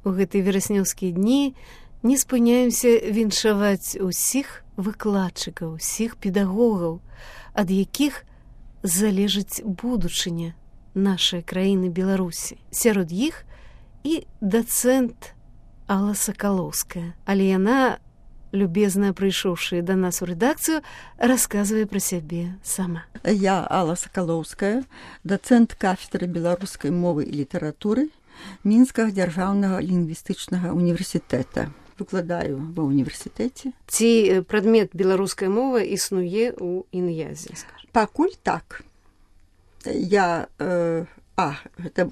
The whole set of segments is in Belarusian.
У гэтыя вераснёўскія дні не спыняемся віншаваць усіх выкладчыкаў, усіх педагогаў, ад якіх залежыць будучыня нашай краіны Беларусі. Сярод іх і дацэнт Алла Сакалоўская. Але яна, любезна прыйшоўшы да нас у рэдакцыю, расказвае пра сябе сама. Я Алла Сакалоўская, дацэнт кафедры беларускай мовы і літаратуры Мінскага дзяржаўнага лінгвістычнага універсітэта. Выкладаю ва ўніверсітэце. Ці прадмет беларускай мовы існуе ў ін'язе? Пакуль так. Гэта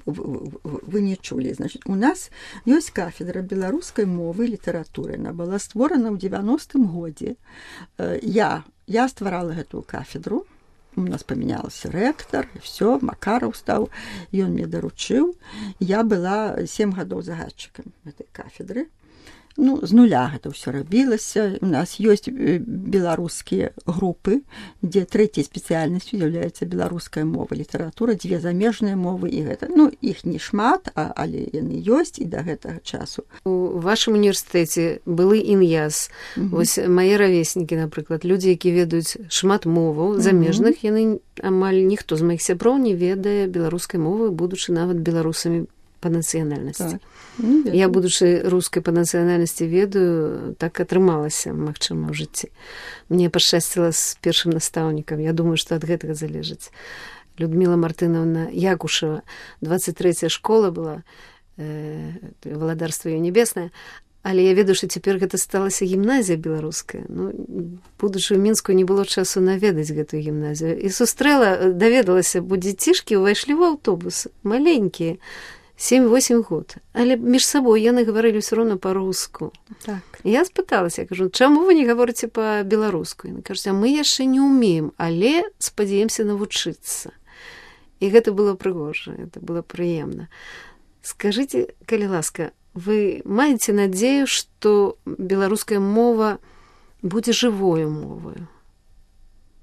вы не чулі. Значит, у нас ёсць кафедра беларускай мовы і літаратуры. Яна была створана ў 90-м годзе. Я стварала гэтую кафедру. У нас памянялася рэктар, і все, Макараў стаў, ён мне даручыў. Я была 7 гадоў загадчыкам гэтай кафедры. З нуля гэта ўсё рабілася. У нас ёсць беларускія групы, дзе трэцяй спецыяльнасцю з'яўляецца беларуская мова, літаратура, 2 замежныя мовы і гэта. Іх не шмат, але яны ёсць і да гэтага часу. У вашым універсітэце былы ін'яз. Вось мае равеснікі, напрыклад, людзі, які ведаюць шмат моваў замежных, яны амаль ніхто з маіх сяброў не ведае беларускай мовы, будучы нават беларусамі па нацыянальнасці. Так. Я, будучы рускай па нацыянальнасці, ведаю, так атрымалася, магчыма, ў жыцці. Мне пашчасціла з першым настаўнікам. Я думаю, што ад гэтага залежыць. Людміла Мартынаўна Якушева, 23-я школа была, валадарства ее небеснае, але я ведаю, што цяпер гэта сталася гімназія беларуская. Будучы ў Мінску, не было часу наведаць гэтую гімназію. І сустрэла, даведалася, бо дзецішкі ўвайшлі ў аўтобус, маленькія, 7-8 год. Але між сабой яны гаварылі ўсё роўна па-руску. Так. Я спыталася, я кажу, чаму вы не гаворыце па-беларуску? Яны кажуць, мы яшчэ не ўмеем, але спадзяемся навучыцца. І гэта было прыгожа, гэта было прыемна. Скажыце, калі ласка, вы маеце надзею, што беларуская мова будзе жывою мовою?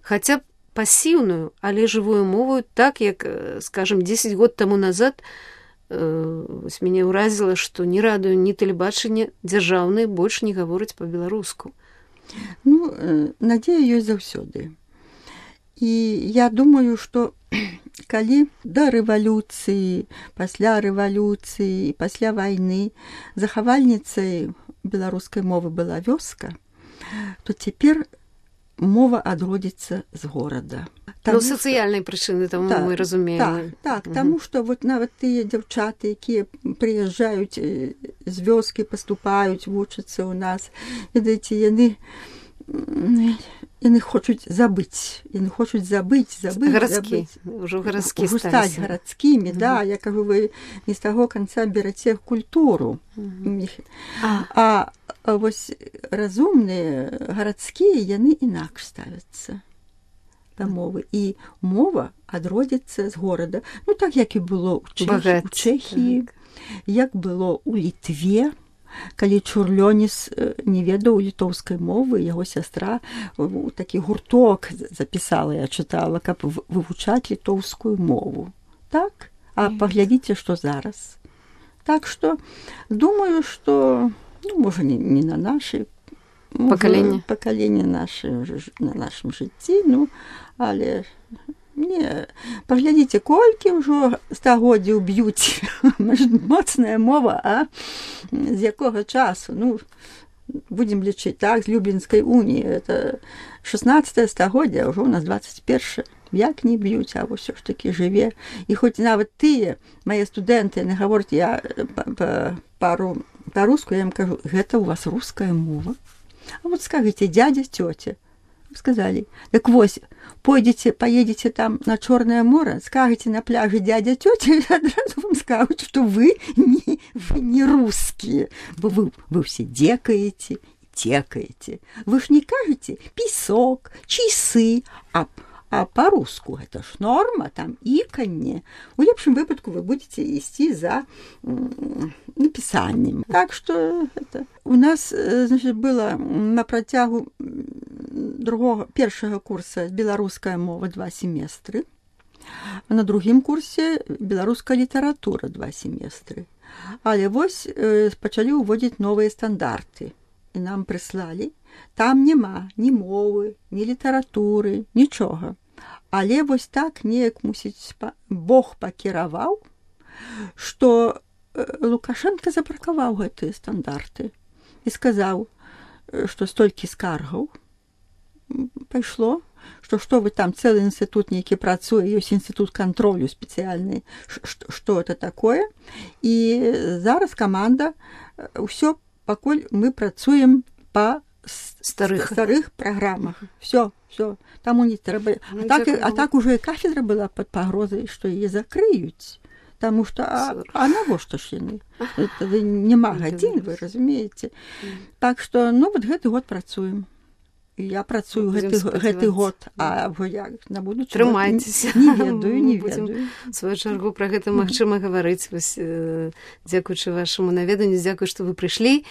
Хаця б пасіўную, але жывую мову, так як, скажем, 10 год таму назад мяне ўразіла, што ні радыё, ні тэлебачанне дзяржаўныя больш не гавораць па-беларуску. Надзея ёсць заўсёды. І я думаю, што калі да рэвалюцыі, пасля рэвалюцыі, пасля вайны захавальніцай беларускай мовы была вёска, то цяпер мова адродзіцца з горада. Сацыяльнай прычыны, таму мы разумеем. Так, таму што нават тыя дзяўчаты, якія прыязджаюць з вёскі, паступаюць, вучацца ў нас, ведаеце, яны хочуць забыць. Яны хочуць забыць. Ужо гарадскі стаць гарадскімі, да. Я кажу, вы не з таго канца бераце культуру. А вось разумныя гарадскія, яны інакш ставяцца да мовы. І мова адродзіцца з горада. Так, як і было ў Чэхіі, як было ў Літве, калі Чурлёніс не ведаў літоўскай мовы, яго сястра такі гурток запісала, я чытала, каб вывучаць літоўскую мову. Так? А паглядзіце, што зараз. Так што, думаю, што, можа, не на нашай пакаленне на нашым жыцці, але паглядзіце, колькі ўжо стагоддзяў б'юць моцная мова, а з якога часу? Будзем лічыць, так, з Люблінскай уніі, это 16 стагоддзя, ўжо ў нас 21. Як не б'юць, а ўсё ж такі жыве. І хоць нават тыя, мае студэнты, яны гавораць, я па-руску, я ім кажу, гэта ў вас руская мова? А вот скажите, дядя, тетя, сказали, так вось, поедете там на Чорное море, скажете на пляже дядя, тетя, и одразу вам скажут, что вы не русские. Вы все декаете, текаете. Вы ж не кажете песок, часы, а по-руску это ж норма, там иканье. У лепшым выпадку вы будете ісці за напісаннем. Так что это у нас, значит, было на працягу першага курса беларуская мова 2 семестры, а на другім курсе беларуская літаратура 2 семестры. Але вось пачалі ўводзіць новыя стандарты. І нам прыслалі. Там няма ні мовы, ні літаратуры, нічога. Але вось так неяк, мусіць, Бог пакіраваў, што Лукашенко запракаваў гэтыя стандарты і сказаў, што столькі скаргаў пайшло, што вы там цэлы інстытут нейкі працуе, ёсць інстытут кантролю спецыяльны, што это такое. І зараз каманда, ўсё, пакуль мы працуем па старых праграмах. Всё. Таму не трэба. А так ужо і кафедра была пад пагрозай, што яе закрыюць. Таму што, а навошта ж яны? Няма гадзін, вы разумееце. Так што, вот гэты год працуем. Я працую гэты год, а як на будучы трымайцеся. Не ведаю. В сваю чаргу пра гэта магчыма гаварыць. Дзякуючы вашаму наведанню, дзякую, што вы прыйшлі.